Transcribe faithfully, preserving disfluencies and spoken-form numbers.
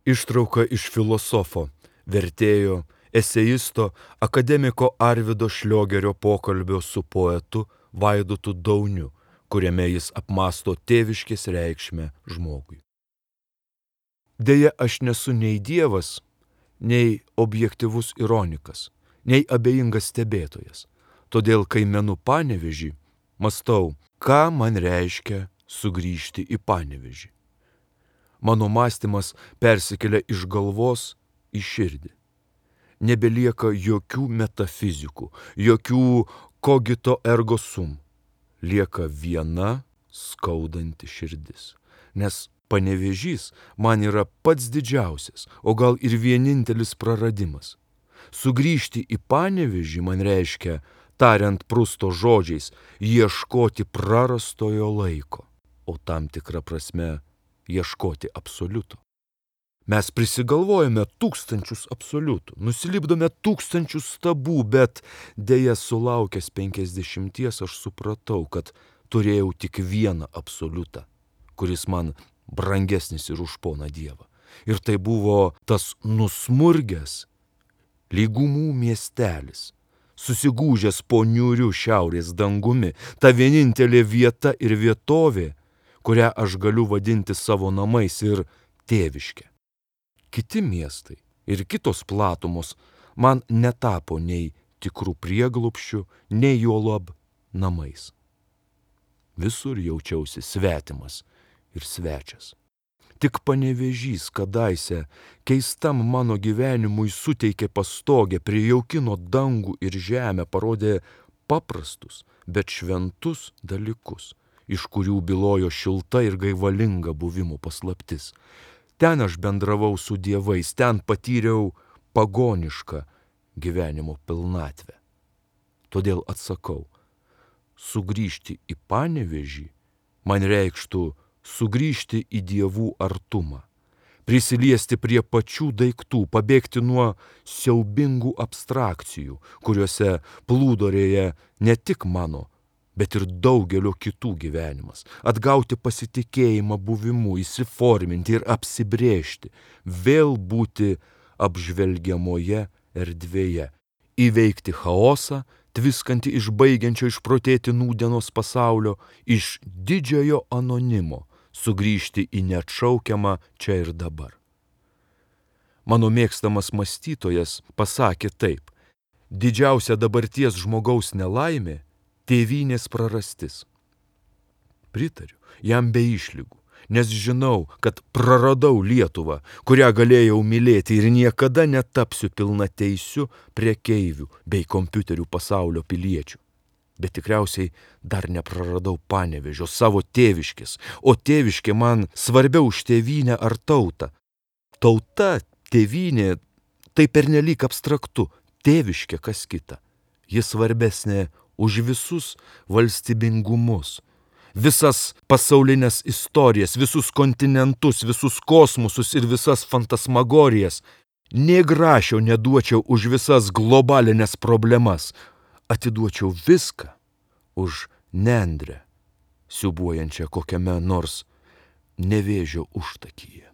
Ištrauka iš filosofo, vertėjo, eseisto, akademiko Arvydo Šliogerio pokalbio su poetu Vaidotu Dauniu, kuriame jis apmąsto tėviškės reikšmę žmogui. Deja, aš nesu nei dievas, nei objektyvus ironikas, nei abejingas stebėtojas. Todėl, kai menu Panevėžį, mąstau, ką man reiškia sugrįžti į Panevėžį. Mano mąstymas persikelia iš galvos į širdį. Nebelieka jokių metafizikų, jokių cogito ergo sum. Lieka viena skaudanti širdis. Nes Panevėžys man yra pats didžiausias, o gal ir vienintelis praradimas. Sugrįžti į Panevėžį man reiškia, tariant Prusto žodžiais, ieškoti prarastojo laiko, o tam tikrą prasme ieškoti absoliuto. Mes prisigalvojame tūkstančius absoliutų, nusilipdome tūkstančius stabų, bet deja sulaukęs penkiasdešimties aš supratau, kad turėjau tik vieną absoliutą, kuris man brangesnis ir už poną Dievą. Ir tai buvo tas nusmurgęs lygumų miestelis, susigūžęs po niūriu šiaurės dangumi, ta vienintelė vieta ir vietovė, kurią aš galiu vadinti savo namais ir tėviške. Kiti miestai ir kitos platumos man netapo nei tikrų prieglobsčių, nei juolab namais. Visur jaučiausi svetimas ir svečias. Tik Panevėžys kadaise keistam mano gyvenimui suteikė pastogę, prijaukino dangų ir žemę, parodė paprastus, bet šventus dalykus, iš kurių bylojo šilta ir gaivalinga buvimo paslaptis. Ten aš bendravau su dievais, ten patyriau pagonišką gyvenimo pilnatvę. Todėl atsakau, sugrįžti į Panevėžį man reikštų sugrįžti į dievų artumą, prisiliesti prie pačių daiktų, pabėgti nuo siaubingų abstrakcijų, kuriuose plūdorėja ne tik mano, bet ir daugelio kitų gyvenimas, atgauti pasitikėjimą buvimu, įsiforminti ir apsibrėžti, vėl būti apžvelgiamoje erdvėje, įveikti chaosą, tviskantį iš baigiančio išprotėti nūdienos pasaulio, iš didžiojo anonimo, sugrįžti į neatšaukiamą čia ir dabar. Mano mėgstamas mąstytojas pasakė taip: didžiausia dabarties žmogaus nelaimė – tėvynės prarastis. Pritariu jam be išlygų, nes žinau, kad praradau Lietuvą, kurią galėjau mylėti ir niekada netapsiu pilnateisiu prekeivių bei kompiuterių pasaulio piliečių. Bet tikriausiai dar nepraradau Panevėžio, savo tėviškės, o tėviškė man svarbiau už tėvynę ar tautą. Tauta, tėvynė, tai pernelyg abstraktu, tėviškė kas kita. Ji svarbesnė už visus valstybingumus, visas pasaulinės istorijas, visus kontinentus, visus kosmosus ir visas fantasmagorijas. Nė grašio neduočiau už visas globalinės problemas, atiduočiau viską už nendrę, siūbuojančią kokiame nors Nevėžio užtakyje.